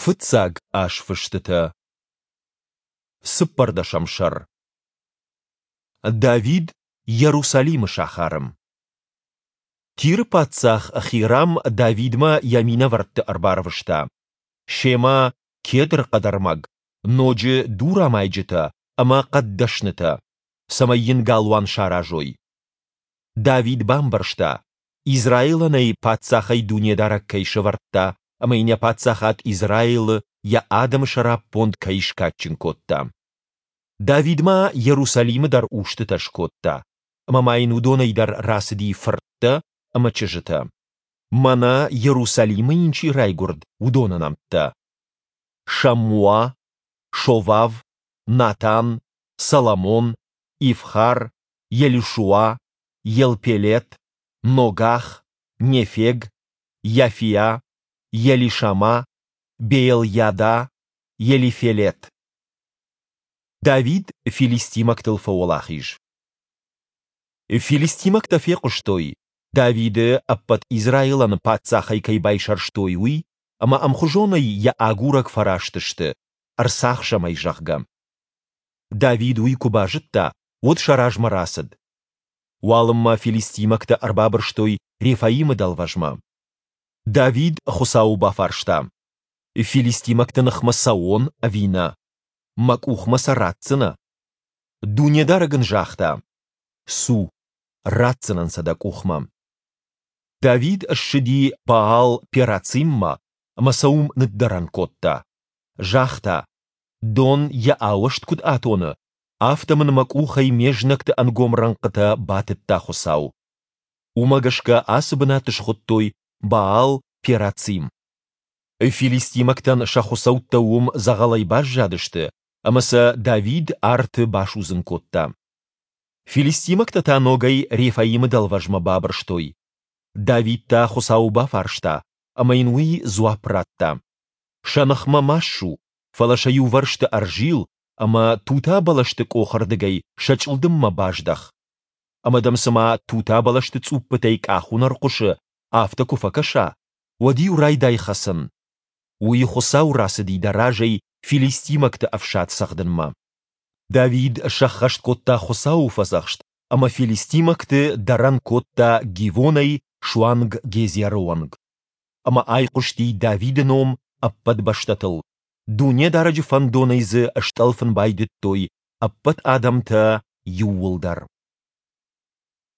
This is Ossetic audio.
Фыццаг азфыстытӕ. Цыппӕрдӕсӕм сӕр. Давид Иерусалимы сахары. Тиры паддзах Хирам Давидмӕ йӕ минӕвӕртты ӕрбарвыста. Семӕ кедр хъӕдӕрмӕг, ноджы дурамайджытӕ ӕмӕ хъӕддӕснытӕ, цӕмӕй йын галуан саразой. Давид бамбӕрста, Израилӕн ӕй паддзахӕй Дунедарӕг кӕй сӕвӕрдта ӕмӕ йын йӕ паддзахад Израилы йӕ адӕмы сӕраппонд кӕй скадджын кодта. Давид ма Иерусалимы дӕр устытӕ скодта, ӕмӕ ма йын уыдонӕй дӕр рацыди фырттӕ ӕмӕ чызджытӕ. Мӕнӕ Иерусалимы йын чи райгуырд, уыдоны нӕмттӕ: Шаммуа, Шовав, Натан, Соломон, Ивхар, Елишуа, Елпелет, Ногах, Нефег, Йафиа, Елишама, Беелйада, Елифелет. Давид филистимӕгтыл фӕуӕлахиз. Филистимӕгтӕ фехъуыстой, Давиды ӕппӕт Израилӕн паддзахӕй кӕй байсӕрстой, уый, ӕмӕ ӕмхуызонӕй йӕ агурӕг фӕраст сты, ӕрцахсӕм ӕй, зӕгъгӕ. Давид уый куы базыдта, уӕд сӕ размӕ рацыд. Уалынмӕ филистимӕгтӕ ӕрбабырстой Рефаимы дӕлвӕзмӕ. Давид Хуыцауы бафарста: Филистимӕгты ныхмӕ цӕуон ӕви нӕ? Мӕ къухмӕ сӕ ратдзынӕ? Дунедарӕг ын загъта: Цу, ратдзынӕн сӕ дӕ къухмӕ. Давид ссыди Баал-Перациммӕ ӕмӕ сӕ уым ныддӕрӕн кодта. Загъта: Дон йӕ ауӕзт куыд атоны, афтӕ мын мӕ къухӕй ме знӕгты ӕнгом рӕнхъытӕ батыдта Хуыцау. Уымӕ гӕсгӕ ацы бынат схуыдтой Баал-Перацим. Филистимӕгтӕн сӕ хуыцӕуттӕ уым дзӕгъӕлӕй баззадысты, ӕмӕ сӕ Давид арты басудзын кодта. Филистимӕгтӕ та ногӕй Рефаимы дӕлвӕзмӕ бабырстой. Давид та Хуыцауы бафарста, ӕмӕ йын уый дзуапп радта: Сӕ ныхмӕ ма ссу, фӕлӕ сӕ иувӕрсты ӕрзил ӕмӕ тута бӕлӕсты къохырдыгӕй сӕ чъылдыммӕ баздӕх. Ӕмӕ дӕм цыма тута бӕлӕсты цъуппытӕй къахуынӕр хъуысы, афтӕ куы фӕкӕса, уӕд-иу райдай хӕцын. Уый Хуыцау рацыди дӕ разӕй филистимӕгты ӕфсад цӕгъдынмӕ. Давид сӕххӕст кодта Хуыцауы фӕдзӕхст ӕмӕ филистимӕгты дӕрӕн кодта Гивонӕй суанг Гезеры онг. Ӕмӕ айхъуысти Давиды ном ӕппӕт бӕстӕтыл, Дунедарӕджы фӕндонӕй дзы стъӕлфын байдыдтой ӕппӕт адӕмтӕ иууылдӕр.